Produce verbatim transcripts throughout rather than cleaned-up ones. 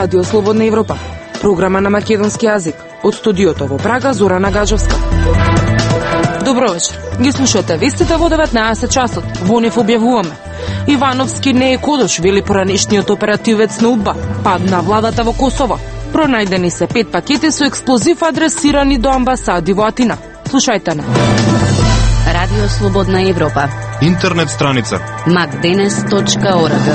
Радио Слободна Европа, програма на македонски јазик, од студиото во Прага Зорана Гаджевска. Добро вечер. Ги слушате вестите во деветнаесет часот. Во нив објавуваме: Ивановски не е кодош, вели поранешниот оперативец на УДБА. Пад на владата во Косово. Пронајдени се пет пакети со експлозив адресирани до амбасади во Атина. Слушајте на Радио Слободна Европа. Интернет страница макденес точка орг.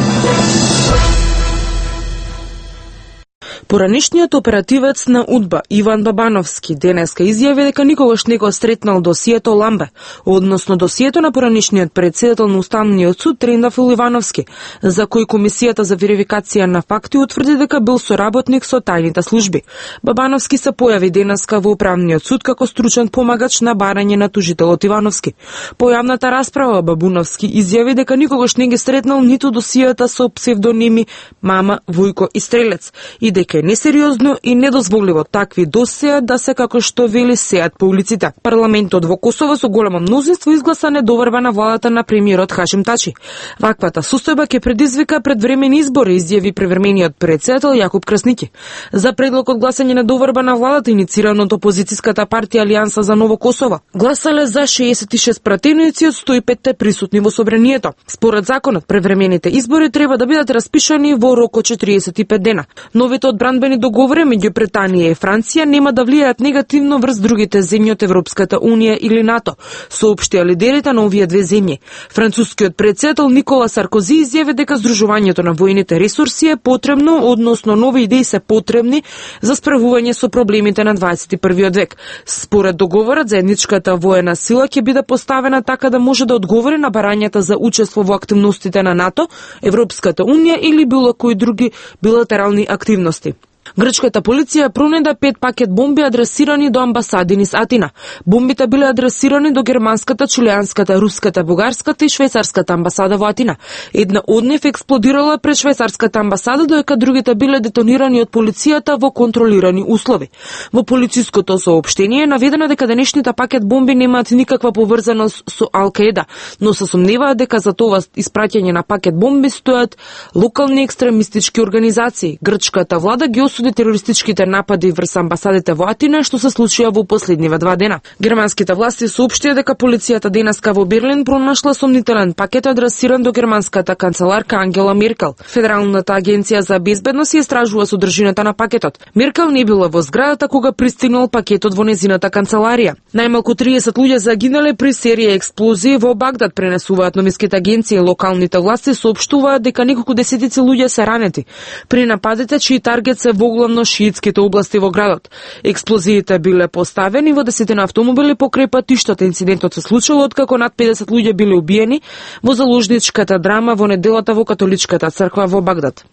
Поранешниот оперативец на УДБА Иван Бабановски денеска изјави дека никогаш не го сретнал досието Ламбе, односно досието на поранешниот председател на Уставниот суд Трендафил Ивановски, за кој Комисијата за верификација на факти утврди дека бил соработник со тајните служби. Бабановски се појави денеска во Управниот суд како стручен помагач на барање на тужителот Ивановски. По јавната расправа Бабановски изјави дека никогаш не ги сретнал ниту досиета со псевдоними Мама, Вујко и Стрелец и дека е несериозно и недозволиво такви досеа да се, како што вели, сеат по улиците. Парламентот во Косово со големо мнозинство изгласа недоверба на владата на премиерот Хашим Тачи. Ваквата состојба ќе предизвика предвремени избори, изјави превремениот председател Јакуп Красники. За предлогот гласање недоверба на владата инициран од опозицијската партија Алијанса за Ново Косово гласале за шеесет и шест пратеници од сто и пет присутни во собранието. Според законот, превремените избори треба да бидат распишани во рок од четириесет и пет дена. Новите одбранбени договори меѓу Британија и Франција нема да влијаат негативно врз другите земји од Европската унија или НАТО, соопштија лидерите на овие две земји. Францускиот председател Никола Саркози изјави дека здружувањето на војните ресурси е потребно, односно нови идеи се потребни за справување со проблемите на дваесет и првиот век. Според договорот, заедничката воена сила ќе биде поставена така да може да одговори на барањата за учество во активностите на НАТО, Европската унија или било кои други билатерални активности. Грчката полиција пронајде пет пакет бомби адресирани до амбасади низ Атина. Бомбите биле адресирани до германската, чилеанската, руската, бугарската и швајцарската амбасада во Атина. Една од нив експлодирала пред швајцарската амбасада, додека другите биле детонирани од полицијата во контролирани услови. Во полициското соопштение е наведено дека денешните пакет бомби немаат никаква поврзаност со Ал-Каеда, но се сомневаат дека за тоа испраќање на пакет бомби стојат локални екстремистички организации. Грчката влада ги осуди терористичките напади врз амбасадите во Атина, што се случија во последниве два дена. Германските власти соопштија дека полицијата денеска во Берлин пронашла сомнителен пакет адресиран до германската канцеларка Ангела Меркел. Федералната агенција за безбедност ја истражува содржината на пакетот. Меркел не била во зградата кога пристигнал пакетот во незината канцеларија. Најмалку триесет луѓе загинале при серија експлозии во Багдад, пренесуваат новинските агенции. Локалните власти соопштуваат дека неколку десетици луѓе се ранети при нападите чии таргет се во главно шиитските области во градот. Експлозиите биле поставени во десетина автомобили покрај патиштата. Инцидентот се случил откако над педесет луѓе биле убиени во заложничката драма во неделата во католичката црква во Багдад.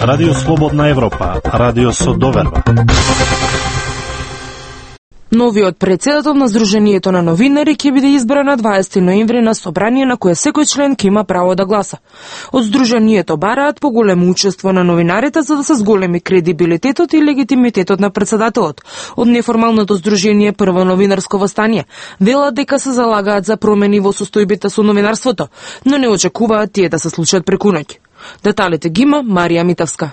Радио Слободна Европа, радио со доверба. Новиот председател на Сдруженијето на новинари ќе биде избран на дваесети ноември на собрание на кое секој член ќе има право да гласа. Од Сдруженијето бараат поголемо учество на новинарите за да се зголеми кредибилитетот и легитимитетот на председателот. Од неформалното Сдружение Прво новинарско востание велат дека се залагаат за промени во состојбите со новинарството, но не очекуваат тие да се случат преку ноќ. Деталите ги има Марија Митевска.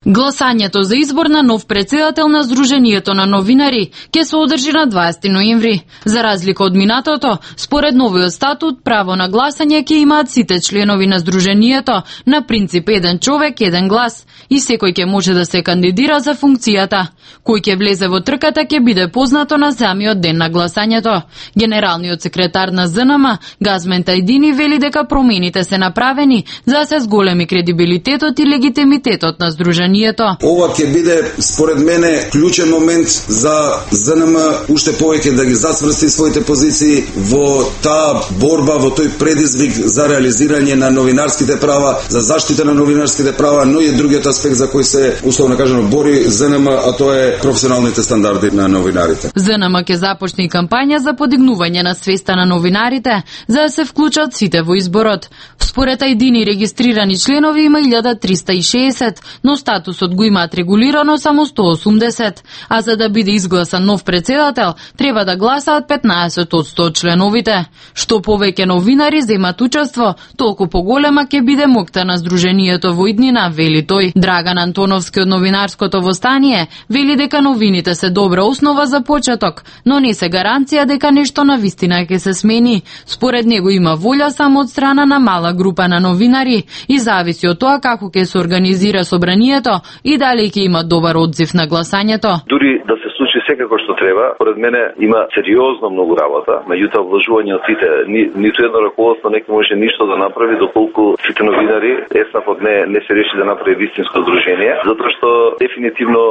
Гласањето за избор на нов председател на Сдруженијето на новинари ќе се одржи на дваесети ноември. За разлика од минатото, според новиот статут, право на гласање ќе имаат сите членови на Сдруженијето на принцип еден човек, еден глас и секој ќе може да се кандидира за функцијата. Кој ќе влезе во трката ќе биде познато на самиот ден на гласањето. Генералниот секретар на ЗНМ, Газмен Тајдини, вели дека промените се направени за да се зголеми кредибилитетот и легитимитетот на Сдруженијето. Ова ќе биде, според мене, клучен момент за ЗНМ уште повеќе да ги зацврсти своите позиции во таа борба, во тој предизвик за реализирање на новинарските права, за заштита на новинарските права, но и другиот аспект за кој се, условно кажано, бори ЗНМ, а тоа е професионалните стандарди на новинарите. ЗНМ ќе започне и кампања за подигнување на свеста на новинарите, за да се вклучат сите во изборот. Според Тајдини регистрирани членови има илјада триста и шеесет, но статусот го имаат регулирано само сто осумдесет, а за да биде изгласан нов председател, треба да гласаат петнаесет одсто од членовите. Што повеќе новинари земат учество, толку поголема ќе биде моќта на Сдруженијето во иднина, вели тој. Драган Антоновски од новинарското востание вели дека новините се добра основа за почеток, но не се гаранција дека нешто на вистина ќе се смени. Според него има волја само од страна на мала група на новинари и зависи од тоа како ќе се организира собранието и дали ќе има добар одзив на гласањето. Дури да се случи секако што треба, поред мене има сериозно многу работа, меѓутоа вложување од сите, ни, ниту едно раководство не може ништо да направи доколку сите новинари ЕСНАФ не не се реши да направи вистинско здружение, затоа што дефинитивно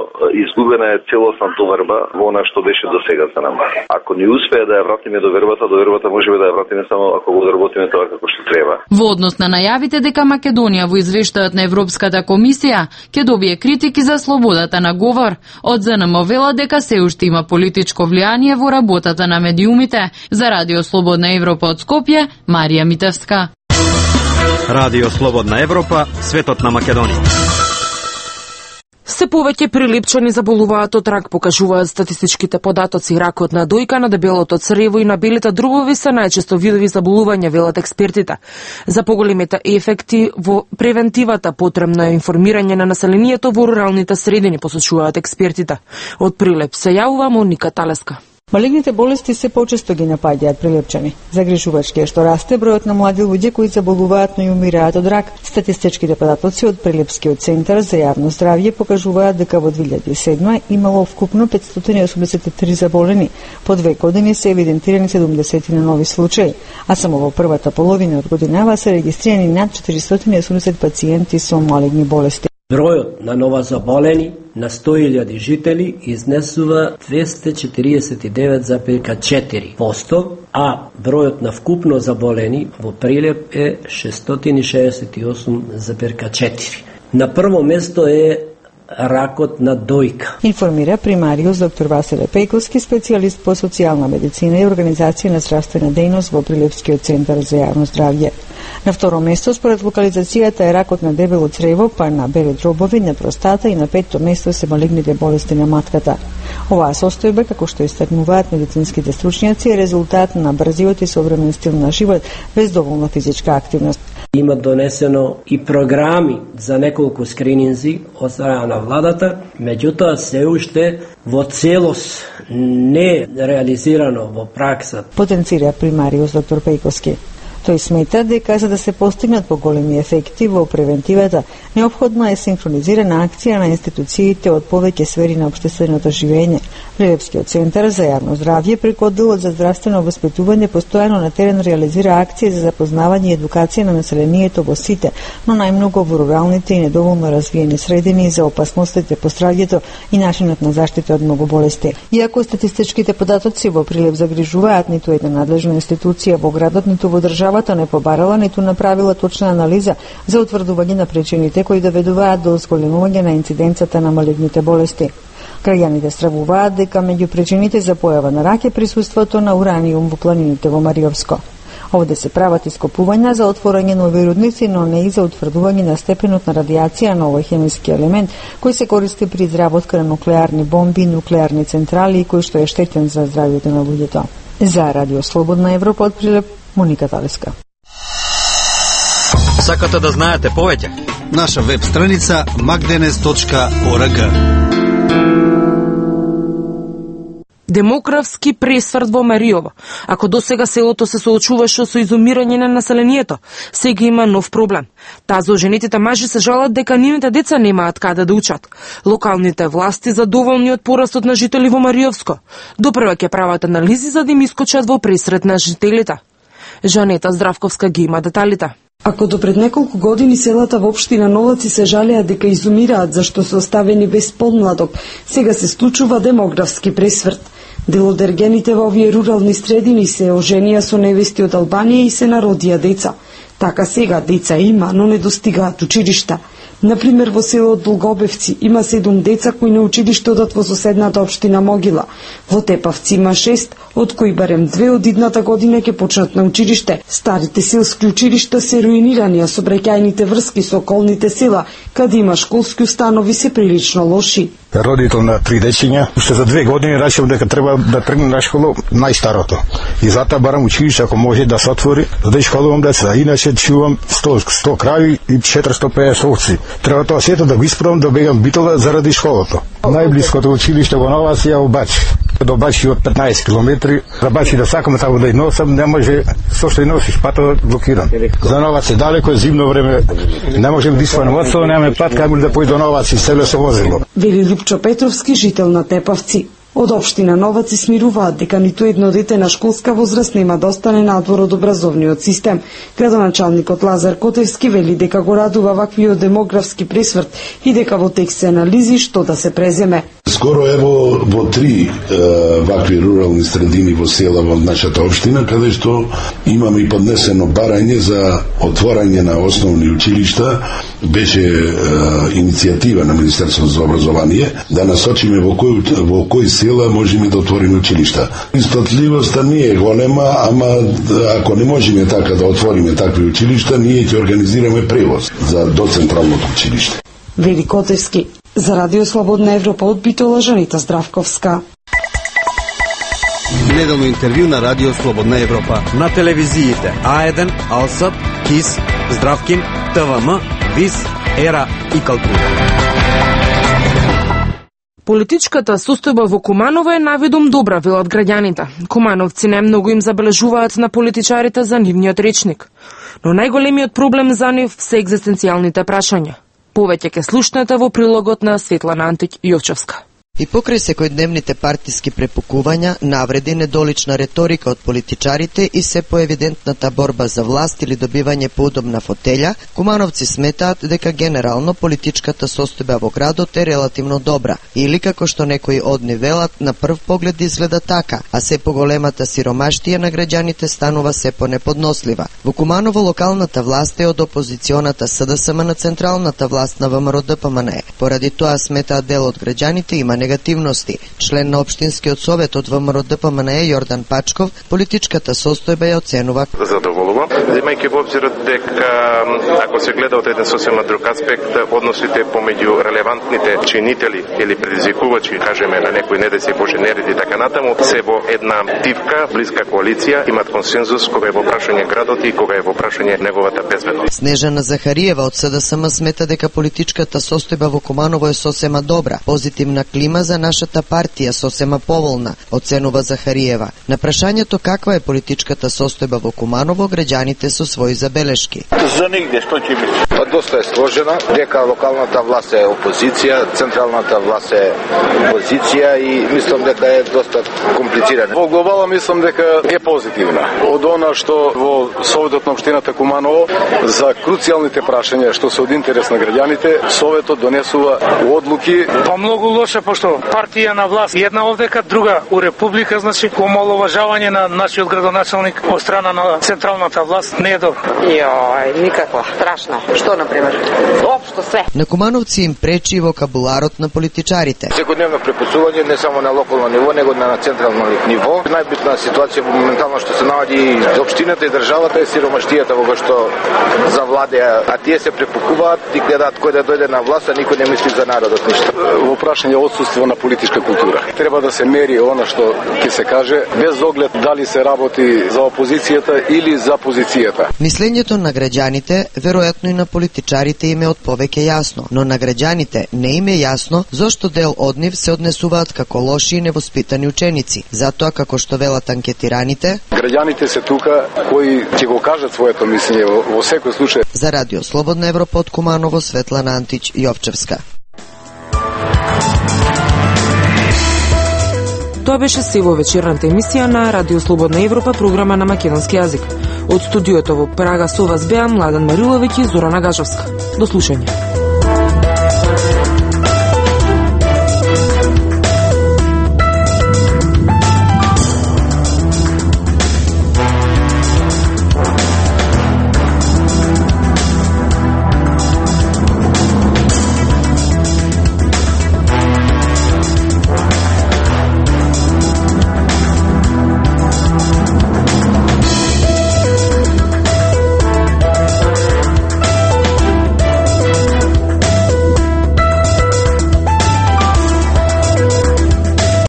изгубена е целосна доверба во она што беше досега за нам. Ако не успее да ја вратиме довербата, довербата можеме да ја вратиме само ако го одработиме тоа како што треба. Во однос на најавите дека Македонија во извештајот на Европската комисија ќе добие критики за слободата на говор, од ЗНМ вела дека се уште има политичко влијание во работата на медиумите. За Радио Слободна Европа од Скопје, Марија Митевска. Радио Слободна Европа, светот на Македонија. Се повеќе прилипчани заболуваат од рак, покажуваат статистичките податоци. Ракот на дојка, на дебелото црево и на белите дробови се најчесто видови заболувања, велат експертите. За поголемите ефекти во превентивата потребно е информирање на населението во руралните средини, посочуваат експертите. Од Прилеп се јавува Моника Талеска. Малигните болести се почесто ги напаѓаат прилепчани. Загрижувачки е што расте бројот на млади луѓе кои заболуваат, но и умираат од рак. Статистичките податоци од Прилепскиот центар за јавно здравје покажуваат дека во две илјади и седма имало вкупно петстотини и осумдесет и три заболени. По две години се евидентирани седумдесет нови случаи, а само во првата половина од годинава се регистрирани над четиристотини и осумдесет пациенти со малигни болести. Бројот на нова заболени на сто илјади жители изнесува двесте четиридесет и девет зарез четири проценти, а бројот на вкупно заболени во Прилеп е шестстотини шеесет и осум зарез четири. На прво место е ракот на дојка. Информира примариус доктор Василе Пејковски, специјалист по социјална медицина и организација на здравствена дејност во Прилепскиот центар за јавно здравје. На второ место според локализацијата е ракот на дебело црево, па на бели дробови, на простата и на петто место се малигните болести на матката. Оваа состојба, како што истакнуваат медицинските стручњаци, е резултат на брзиот и современ стил на живот без доволна физичка активност. Има донесено и програми за неколку скрининзи од страна на владата, меѓутоа се уште во целост не реализирано во пракса. Потенцира примариус доктор Пејковски. Тој смета дека за да се постигнат поголеми ефекти во превентивата, неопходна е синхронизирана акција на институциите од повеќе сфери на општественото живење. Прилепскиот центар за јавно здравје преку одделот за здравствено воспитување постојано на терен реализира акции за запознавање и едукација на населението во сите, но најмногу во руралните и недоволно развиени средини за опасностите по здравјето и начинот на заштита од многу болести. Иако статистичките податоци во Прилеп загрижуваат, ниту една надлежна институција во градот, ниту во државата не побарала, ниту направила точна анализа за утврдување на причините кои доведуваат до зголемување на инциденцата на малигните болести. Граѓаните стравуваат дека меѓу причините за појава на рак е присуството на ураниум во планините во Мариовско. Овде се прават ископувања за отворање нови рудници, но не и за утврдување на степенот на радиација на овој хемиски елемент, кој се користи при изработка на нуклеарни бомби и нуклеарни централи и кој што е штетен за здравјето на луѓето. За Радио Слободна Европа од Прилеп, Моника Талеска. Сакате да знаете повеќе? Наша веб страница макденес точка орг. Демографски пресврт во Мариово. Ако досега селото се соочуваше со изумирање на населението, сега има нов проблем. Тазо женетите мажи се жалат дека нивните деца немаат каде да учат. Локалните власти задоволни од порастот на жители во Мариовско. Допрва ќе прават анализи за да им искочат во пресрет на жителите. Жанета Здравковска ги има деталите. Ако до пред неколку години селата во општина Новаци се жалеа дека изумираат зашто се оставени без подмладок, сега се случува демографски пресврт. Дел од ергените во овие рурални средини се оженија со невести од Албанија и се народија деца. Така сега деца има, но не достигаат училишта. Например, во село Долгобевци има седум деца кои на училиште одат во соседната општина Могила. Во Тепавци има шест, од кои барем две од идната година ќе почнат на училиште. Старите селски училишта се руинирани, а сообраќајните врски со околните села, каде има школски установи, се прилично лоши. Родител на три дечиња, уште за две години речев дека треба да тргне на школа најстарото. И затоа барам училиште ако може да се отвори, за да школувам деца. Иначе чувам сто, сто крави и четиристо пеесет овци. Треба тоа сето да го исправам, да бегам Битола заради школото. Најблиското училиште во Новац е во Бачи. До Бачи од петнаесет километри. За Бачи да сакам таму да и носам, не може, со што и носиш, патот блокиран. За Новац е далеко, е зимно време, не можем да испанем одсо, немаме пат, каму да појде до Новац и селе со возило. Вели Лупчо Петровски, жител на Тепавци. Од општина Новац се смируваат дека ниту едно дете на школска возраст нема да остане надвор од образовниот систем. Градоначалникот Лазар Котевски вели дека го радува ваквиот демографски пресврт и дека во текст се анализи што да се преземе. Скоро ево во три е, вакви рурални средини во села во нашата општина, каде што имаме и поднесено барање за отворање на основни училишта, беше е, иницијатива на Министерството за образование да насочиме во кој во кој села можеме да отвориме училишта. Истотливоста не е голема, ама ако не можеме така да отвориме такви училишта, ние ќе организираме превоз за до централното училиште. Вели Котевски. За Радио Слободна Европа од Битола, Жанита Здравковска. Неделно интервју на Радио Слободна Европа. На телевизиите А еден, Алсат, КИС, Здравкин, ТВМ, ВИС, Ера и Калтура. Политичката состојба во Куманово е наведом добра, велат граѓаните. Кумановци најмногу им забележуваат на политичарите за нивниот речник. Но најголемиот проблем за нив се екзистенцијалните прашања. Повеќе ке слушнете во прилогот на Светлана Антик Јовчевска. И покрај секојдневните партиски препукувања, навреди, недолична реторика од политичарите и се поевидентната борба за власт или добивање поудобна фотелја, кумановци сметаат дека генерално политичката состојба во градот е релативно добра, или како што некои од нив велат, на прв поглед изгледа така, а се поголемата сиромаштија на граѓаните станува се понеподнослива. Во Куманово локалната власт е од опозиционата СДСМ на централната власт на ВМРО-ДПМН. Поради тоа сметаат дел од граѓаните има негативности. Член на Општинскиот совет од ВМРО-ДПМН Јордан Пачков, политичката состојба ја оценува задоволува, земајќи во обзир дека ако се гледа од еден сосема друг аспект, односите помеѓу релевантните чинители или предизвикувачи, кажеме на некои недеси Боже нереди така натаму, се во една тивка, блиска коалиција, имат консензус кога е во прашање градот и кога е во прашање неговата безбедност. Снежана Захариева од СДСМ смета дека политичката состојба во Куманово е сосема добра, позитивна клима за нашата партија, сосема поволна, оценува Захариева. На прашањето каква е политичката состојба во Куманово, граѓаните со своји забелешки. За нигде, што ќе мисли? Па доста е сложена, дека локалната власт е опозиција, централната власт е опозиција и мислам дека е доста комплицирана. Во глобала мислам дека е позитивна. Од она што во Советот на општината Куманово за круцијалните прашања што се од интерес на граѓаните, Советот донесува одлуки. Па многу лоше, пошто партија на власт една овдека, друга у република, значи омаловажавање на нашиот градоначалник од страна на централната власт не е добро. Јој, никакво, страшно. Што на пример? Општо све. На кумановци им пречи вокабуларот на политичарите. Секојдневно препасување не само на локално ниво, него на централно ниво. Најбитна ситуација моментално што се наоѓа и општината и државата е сиромаштијата во која што завладеа, а тие се препукуваат и гледаат кој да дојде на власт, а никој не мисли за народот ништо. Во прашање отсуство на политичка култура. Треба да се мери она што ќе се каже, без оглед дали се работи за опозицијата или за позицијата. Мислењето на граѓаните, веројатно и на политичарите им е од повеќе јасно, но на граѓаните не им е јасно зошто дел од нив се однесуваат како лоши и невоспитани ученици. Затоа, како што велат анкетираните, граѓаните се тука кои ќе го кажат своето мислење во, во секој случај. За Радио Слободна Европа од Куманово, Светлана Антич Јовчевска. Тоа беше се во вечерната емисија на Радио Слободна Европа, програма на македонски јазик. Од студиото во Прага со вас беа Младен Мариловиќ и Зорана Гажовска. До слушање.